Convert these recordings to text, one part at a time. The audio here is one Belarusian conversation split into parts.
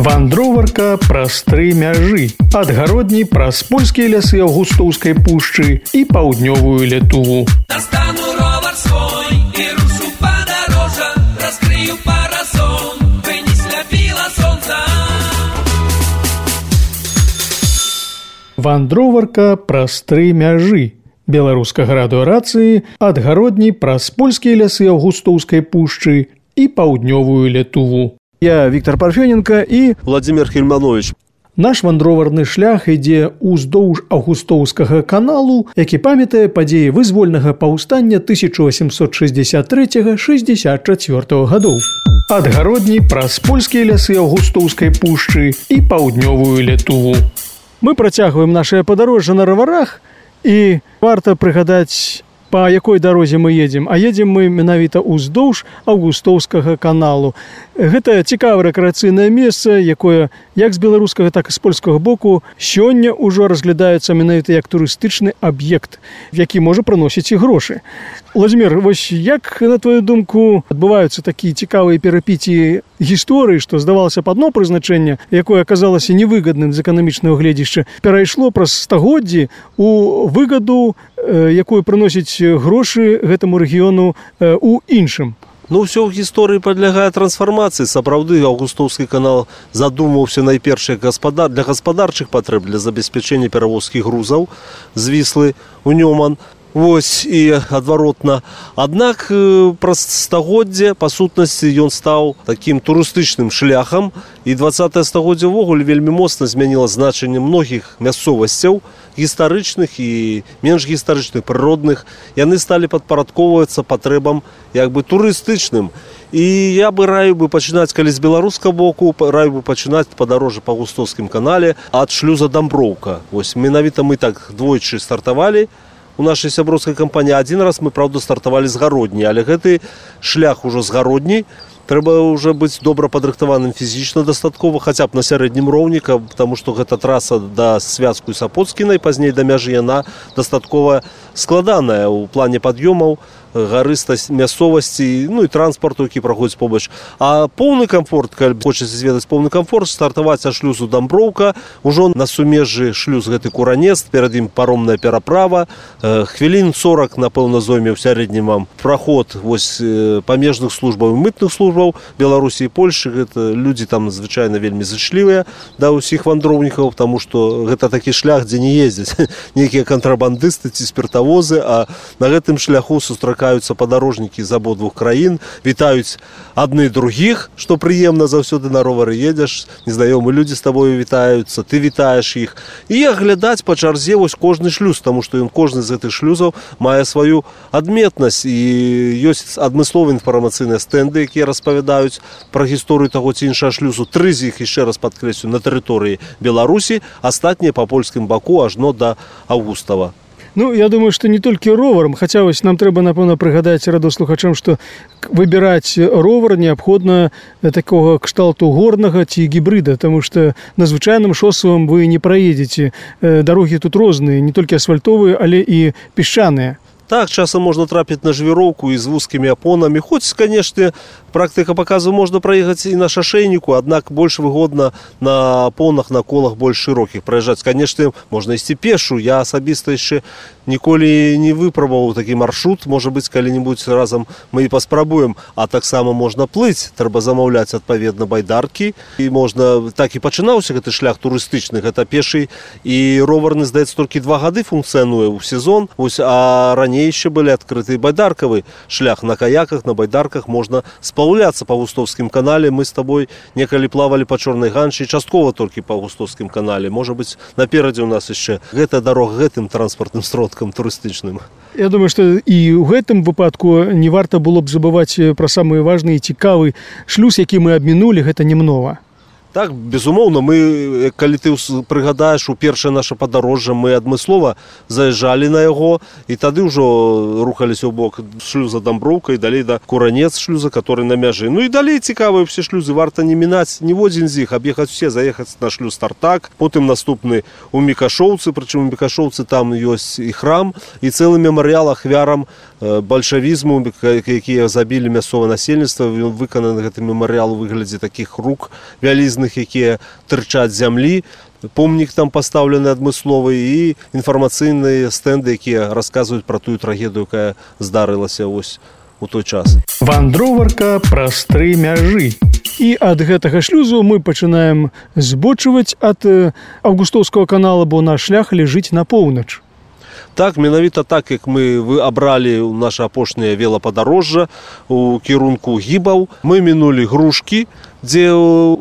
Вандроварка праз 3 мяжы. Адгародні праз польскія лясы Аўгустоўскай пушчы і паўднёвую Літву. Достану ровар свой і рушу падарожжа, раскрыю парасон, бы не сляпіла сонца. Вандроварка праз 3 мяжы. Беларускага радыёрацыі адгародні праз польскія лясы Аўгустоўскай пушчы і паўднёвую Літву. Я Віктор Парфёненко і Владимир Хельманович. Наш вандроварны шлях ідзе ўздоўж Аўгустоўскага каналу, які памятае падзеі вызвольнага паўстання 1863-64 гадоў. Адгародні праз польскія лясы Аўгустоўскай пушчы і паўднёвую Літву. Мы працягваем нашае падарожжа на раварах, і варта прыгадаць, па якой дарозе мы едзем. А едзем мы менавіта ўздоўж Аўгустоўскага каналу. Гэта цікавае рэкрэацыйнае месца, якое як з беларускага, так і з польскага боку сёння ўжо разглядаецца менавіта як турыстычны аб'ект, які можа прыносіць і грошы. Владимир, вось як, на твою думку, адбываюцца такія цікавыя перапіці гісторыі, што здавалася б адно прызначэнне, якое аказалася невыгадным з эканамічнага гледзяшча, перайшло праз стагоддзі у выгаду, якую прыносіць грошы гэтаму рэгіёну у іншым. Ну, все в гісторыі падлягае трансфармацыі. Сапраўды, Аўгустоўскі канал задумваўся найперш для гаспадарчых патрэб, для забеспячэння перавозкі грузаў з Віслы ў Нёман. Вось, і адваротна. Аднак праз стагоддзе, па сутнасці, ён стаў такім турыстычным шляхам, і 20-е стагоддзе ўвогуле вельмі моцна змяніла значэнне многіх мясцовасцяў, гістарычных і менш гістарычных, прыродных. Яны сталі падпарадкоўвацца патрэбам як бы турыстычным. І я бы раю пачынаць, калі з беларускага боку, раю пачынаць падарожжа па Аўгустоўскім канале ад шлюза Дамброўка. Вось, менавіта мы так двойчы стартавалі у нашай сяброўскай кампаніі. Адзін раз мы, праўда, стартавалі з Гародні, але гэты шлях ужо з Гародні трэба ўжо быць добра падрыхтаваным фізічна дастаткова, хаця б на сярэднім роўні, таму што гэта траса да Свяцку і Сапоцкінай, пазней да мяжы, яна дастаткова складаная ў плане пад'ёмаў, гарыстасць мясцовасці, ну і транспарту, які праходзіць побач. А поўны комфорт, калі хочаце зведаць поўны комфорт, стартаваць ад шлюзу Дамброўка, ужо на сумежжы шлюз гэты Куранест, перад ім паромная пераправа, хвілін 40, напэўна, зойме ў сярэднім вам праход вось памежных службаў і мытных службаў Беларусі і Польшы. Гэта людзі там звычайна вельмі зычлівыя да ўсіх вандроўнікаў, таму што гэта такі шлях, дзе не ездзяць нейкія кантрабандысты ці спіртавозы, а на гэтым шляху сустракаюцца падарожнікі з абодвух краін, вітаюць адны другіх, што прыемна, заўсёды на ровары едзеш, незнаёмыя людзі з табою вітаюцца, ты вітаеш іх. І аглядаць па чарзе вось кожны шлюз, таму што ён кожны з гэтых шлюзаў мае сваю адметнасць, і ёсць адмысловыя інфармацыйныя стэнды, якія распавядаюць пра гісторыю таго ці іншага шлюзу. 3 з іх, яшчэ раз падкрэслю, на тэрыторыі Беларусі, астатнія па польскім баку ажно да Аўгустава. Ну, я думаю, што не толькі роварам, хаця вось нам трэба, напэўна, прыгадаць радыёслухачам, што выбіраць ровар неабходна такога кшталту горнага ці гібрыда, таму што на звычайным шосавым вы не праедзеце. Дарогі тут розныя, не толькі асфальтовыя, але і пясчаныя. Так, часам можна трапіць на жвіроўку і з вузкімі апонамі. Хоць, канешне, практыка паказвае, можна праехаць і на шашэйніку, аднак больш выгодна на апонах, на колах больш шырокіх праязджаць. Канешне, можна ісці пешу. Я асабіста яшчэ ніколі не выпрабаваў такі маршрут. Можа быць, калі-небудзь разам мы і паспрабуем. А таксама можна плыць. Трэба замаўляць, адпаведна, байдаркі. І можна, так і пачынаўся гэты шлях турыстычны. Гэта пешы і роварны, здаецца, толькі 2 гады функцыянуе ў сезон. Вось, а раней яшчэ былі адкрыты байдаркавы шлях. На каяках, на байдарках можна спаўляцца па Аўгустоўскім канале. Мы з табой некалі плавалі па Чорнай ганчы, часткова толькі па Аўгустоўскім канале. Можа быць, наперадзе ў нас яшчэ гэта дарога гэтым транспартным сродкам турыстычным. Я думаю, што і ў гэтым выпадку не варта было б забываць пра самы важны і цікавы шлюз, які мы абмінулі, гэта Немнова. Так, безумоўна, мы, калі ты прыгадаеш у першае наша падарожжа, мы адмыслова заязджалі на яго, і тады ўжо рухаліся ў бок шлюза Дамброўка і далей да Куранец шлюза, который на мяжы. Ну і далей цікавыя ўсе шлюзы, варта не мінаць ніводзін з іх, аб'ехаць усе, заехаць на шлюз Тартак, потым наступны у Мікашоўцы, прычым у Мікашоўцы там ёсць і храм, і цэлы мемарыял ахвярам бальшавізму, якія забілі мясцовае насельніцтва. Выкананы гэты мемарыял у выглядзе такіх рук вялізных, памятных, якія тырчаць зямлі, помнік там пастаўлены адмысловы і інфармацыйныя стэнды, якія расказваюць пра тую трагедыю, якая здарылася вось у той час. Вандроварка праз 3 мяжы. І ад гэтага шлюзу мы пачынаем збочваць ад Аўгустоўскага канала, бо наш шлях ляжыць на поўнач. Так, менавіта так, як мы абралі наша апошняе велападарожжа у кірунку Гібаў. Мы мінулі Грушкі, дзе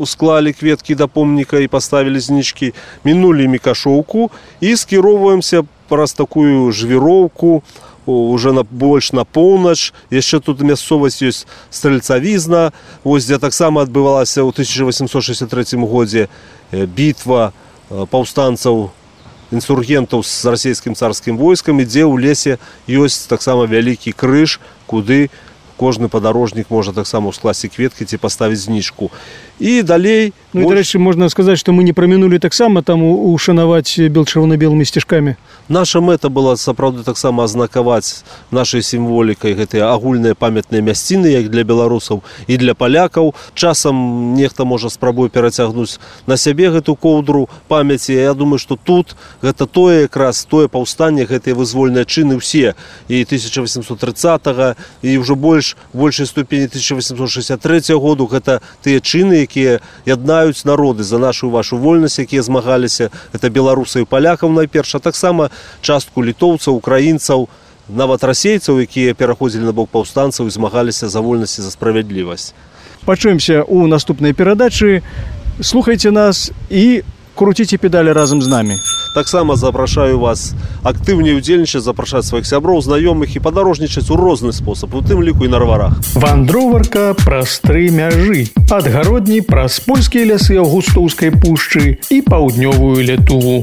склалі кветкі да помніка і паставілі знічкі, мінулі Мікашоўку і скіроўваемся праз такую жвіроўку, уже больш на поўнач. Яшчэ тут мясцовасць ёсць Стрэльцавізна, вось дзе таксама адбывалася ў 1863 годзе бітва паўстанцаў, інсургентаў з расійскім царскім войскам, і дзе ў лесе ёсць таксама вялікі крыж, куды кожны падарожнік можа таксама ўскласці кветкі ці паставіць знічку. І далей... Ну і, дарэчы, можна сказаць, што мы не прамінулі таксама там ушанаваць чырвона-белымі сцяжкамі. Наша мэта была сапраўды таксама азнакаваць нашай сімволікай гэтыя агульныя памятныя мясціны, як для беларусаў і для палякаў. Часам нехта можа спрабуе перацягнуць на сябе гэту коўдру памяці. Я думаю, што тут гэта тое якраз, тое паўстанне, гэтыя вызвольныя чыны ўсе. І 1830-го, і ўжо большай ступені 1863 году гэта тыя чыны, якія яднаюць народы за нашу вашу вольнасць, якія змагаліся. Гэта беларусаў і палякаў найперш, а таксама частку літоўцаў, украінцаў, нават расейцаў, якія пераходзілі на бок паўстанцаў і змагаліся за вольнасць і за справядлівасць. Пачуемся ў наступнай перадачы. Слухайце нас і круціце педалі разам з намі. Таксама запрашаю вас актыўней удзельнічаць, запрашаць сваіх сяброў, знаёмых і падарожнічаць у розны спосаб, у тым ліку і на раварах. Вандроварка праз 3 мяжы. Ад Гародні праз польскія лясы Аўгустоўскай пушчы і паўднёвую Літву.